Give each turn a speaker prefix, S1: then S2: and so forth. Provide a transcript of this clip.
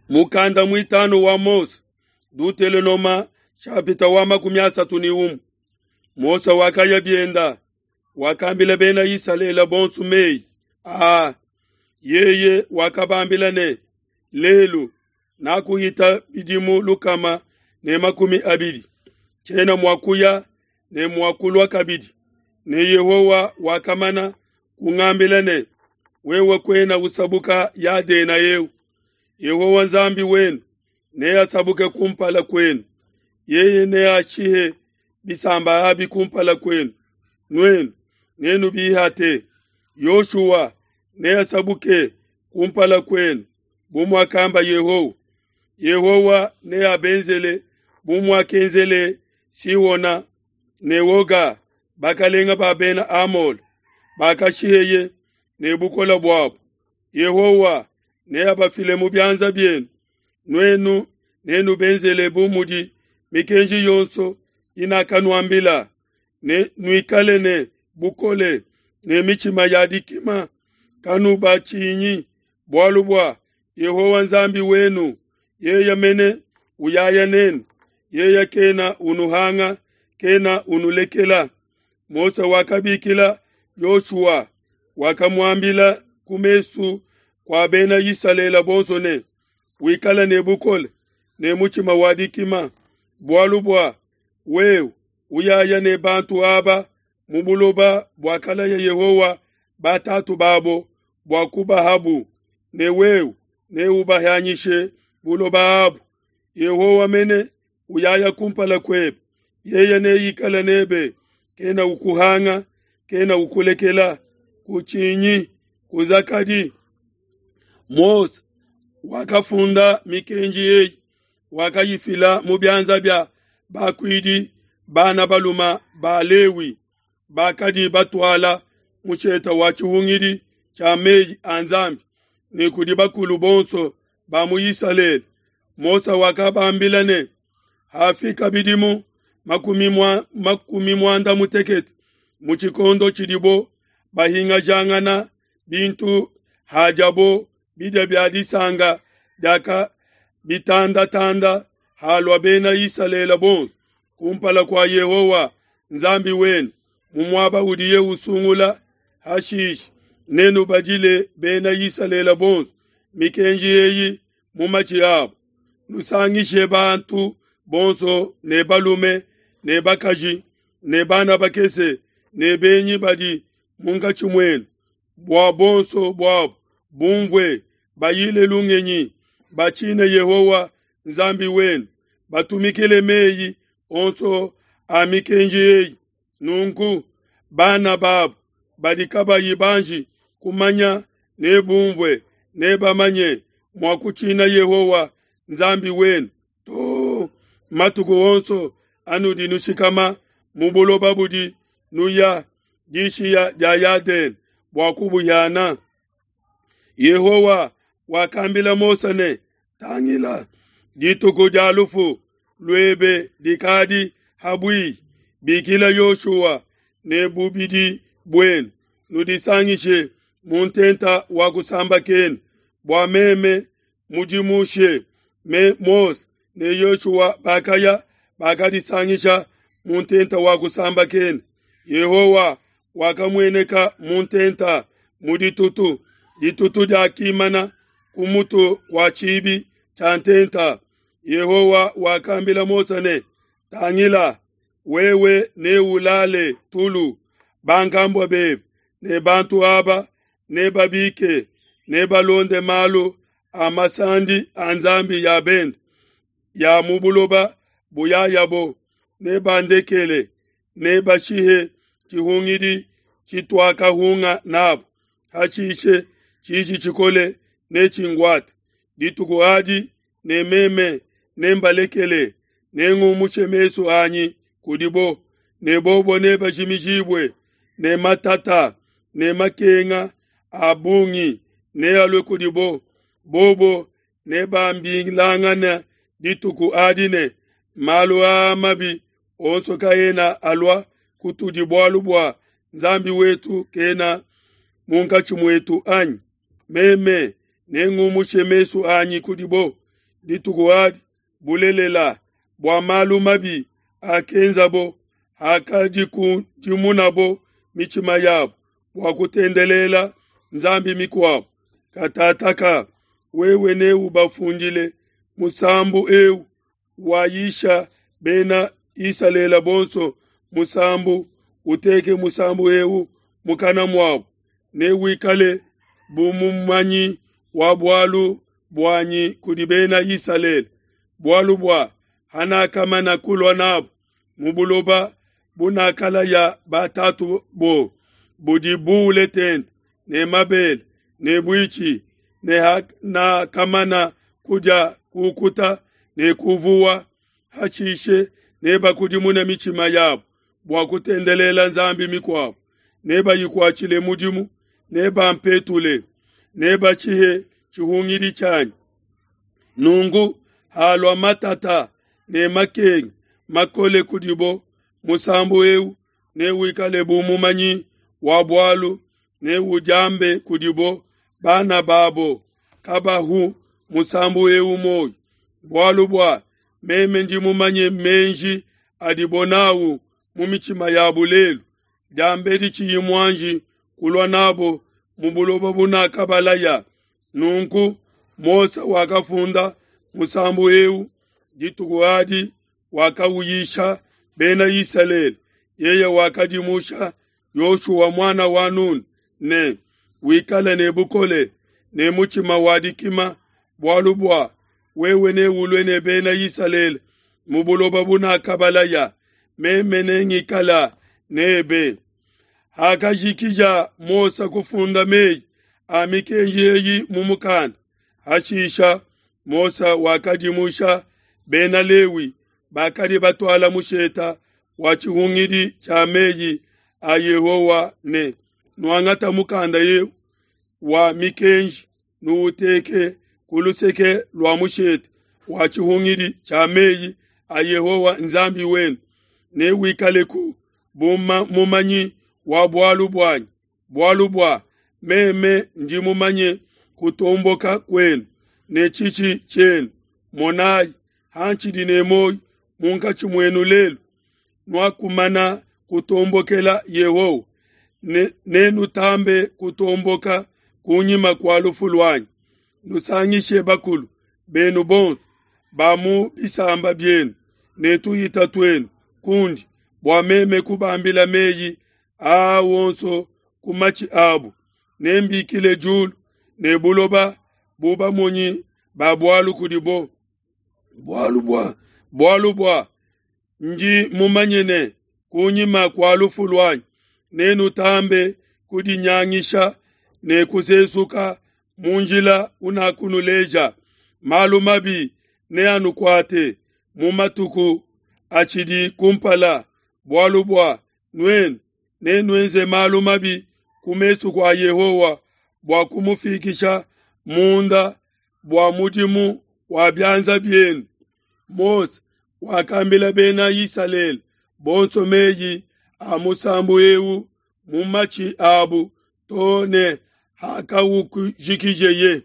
S1: Mukanda muitanu wa Mose, Dutelonoma shapita wa 31. Mose wakaya bienda, wakambila bena Isalele bonso meyi aa. Yeye wakabambila ne, lelu nakuhita bidimu 120, tshiena mua kuya ne mua kulua kabidi. Ne Yehowa wakamana kungambila ne, wewe kuena usabuka Yadena eu. Yehowa Nzambi wenu neasabuke kumpala kwenu, yeye neashihe bisamba abi kumpala kwenu, nuenu nenubihate. Yoshua neasabuke kumpala kwenu bu muakamba Yehowa. Yehowa neabenzele bu muakenzele Sihona ne Oga, bakalenga ba bena Amole, bakashiheye ne bukole buabo. Yehowa neabafile mu bianza bienu, nuenu nenubenzele bu mudi mikenji yonso inakanuambila. Ne nuikale ne bukole ne mitshima ya dikima, kanubatshinyi, bualu bua Yehowa Nzambi wenu yeye mene uyaya nenu, yeye kena unuhanga, kena unulekela. Mose wakabikila Yoshua, wakamuambila ku mesu kua bena Isalele bonso ne, wikale ne bukole ne mutshima wa dikima, bualu bua wewe uyaya ne bantu aba mu buloba buakalaya Yehowa batatu babo bua kubahabu, ne wewe neubahanyishe buloba abu. Yehowa mene uyaya kumpala kuebe, yeye neikale nebe, kena ukuhanga, kena ukulekela. Kutshinyi, kuzakadi. Mose wakafunda mikenji eyi, wakayifila mu bianza bia bakuidi bana baluma ba Lewi, bakadi batuala musheta wa tshihungidi tshia meyi a Nzambi, ne kudi bakulu bonso ba mu Isalele. Mose wakabambila ne, hafika bidimu 60 mu tshikondo tshidibo bahingajangana bintu hajabo bidia bia disanga diaka bitandatanda, halua bena Isalele bonso kumpala kua Yehowa Nzambi wenu mu muaba udiye usungula. Hashishe nenubadile bena Isalele bonso mikenji eyi mu matshi abo. Nusangishe bantu bonso, ne balume ne bakaji ne bana bakese ne benyi badi munkatshi muenu, bua bonso buabo bumvue, bayile lungenyi, batshine Yehowa Nzambi wenu, batumikile meyi onso a mikenji eyi. Nunku bana babo badi kabayi banji kumanya nebumvue, nebamanye mua kutshina Yehowa Nzambi wenu to matuku onso anudi nushikama mu buloba budi nuya dishiya dia Yadene bua kubuhiana. Yehowa wakambila Mose ne, tangila, dituku dia lufu luebe dikadi habui. Bikila Yoshua ne bubidi buenu, nudisangishe mu ntenta wa kusambakena, bua meme mudimushe. Me Mose ne Yoshua bakaya bakadisangisha mu ntenta wa kusambakena. Yehowa wakamueneka mu ntenta mu ditutu. Ditutu diakimana ku mutu wa tshibi tshia ntenta. Yehowa wakambila Mose ne, tangila, wewe neulale tulu, bankambua bebe ne bantu aba nebabike, nebalonde malu a masandi a nzambi ya bende ya mu buloba buyayabo, nebandekele, nebashihe tshihungidi tshituakahunga nabo. Hashishe tshiji tshikole netshinguate dituku adi, ne meme nembalekele, nengumushe mesu anyi kudibo, ne bobo nebajimijibue, ne matata ne makenga a bungi nealue kudibo. Bobo nebambilangane dituku adi ne, malu aa mabi onso kaena alua kutudi bualu bua Nzambi wetu kena munkatshi muetu anyi? Meme nengumushe mesu anyi kudibo. dituku adi bulelela bua malu mabi akenzabo hakadikudimunabo mitshima yabo bua kutendelela nzambi mikuabo. Katataka wewe neubafundile musambu eu wayisha bena Isalele bonso musambu, uteke musambu eu mukana muabo, newikale bu mumanyi wa bualu buanyi kudi bena Isalele, bualu bua hanakamana kulua nabo mu buloba bunakalaya batatu bo, budi buule tente ne mabele ne buitshi, ne hanakamana kudia kukuta ne kuvuwa. Hashishe nebakudimune mitshima yabo bua kutendelela nzambi mikuabo, nebayikuatshile mudimu, nebampetule, nebatshihe tshihungidi tshianyi. Nunku halua matata ne makenga makole kudibo, musambu eu newikale bu mumanyi wa bualu, neudiambe kudibo bana babo kabahu musambu eu muoyo, bualu bua meme ndi mumanye meji adibo nawu mu mitshima yabo lelu, diambedi tshiyi muanji kulua nabo mu buloba bunakabalaya. Nunku Mose wakafunda musambu eu dituku adi, wakauyisha bena Isalele. Yeye wakadimusha Yoshua muana wa Nun ne, wikale ne bukole ne mutshima wa dikima, bualu bua wewe neulue ne bena Isalele mu buloba bunakabalaya, meme nengikala nebe. Hakajikija Mose kufunda meyi a mikenji eyi mu mukanda, hashisha Mose wakadimusha bena Lewi bakadi batuala musheta wa tshihungidi tshia meyi a Yehowa ne, nuangata mukanda eu wa mikenji nuuteke ku luseke lua mushete wa tshihungidi tshia meyi a Yehowa Nzambi wenu, newikaleku bu mumanyi wa bualu buanyi, bualu bua meme ndi mumanye kutomboka kuenu ne tshitshi tshienu. Monayi, hantshidi ne muoyo munkatshi muenu lelu, nuakumana kutombokela Yehowa, nenutambe kutomboka kunyima kua lufu luanyi. Nusangishe bakulu benu bonso ba mu bisamba bienu ne tuhita tuenu kundi, bua meme kubambila meyi aa wonso ku matshi abo. Nembikile diulu ne buloba bu bamonyi ba bualu kudibo, bualu bua ndi mumanye ne kunyima kua lufu luanyi nenutambe kudinyangisha ne kusesuka mu njila unakunuleja. Malu mabi neanukuate mu matuku atshidi kumpala, bualu bua nuenu nenuenze malu mabi ku mesu kua Yehowa bua kumufikisha munda bua mudimu wa bianza bienu. Mose wakambila bena Isalele bonso meyi a musambu eu mu matshi abu too ne hakawukujikijeye.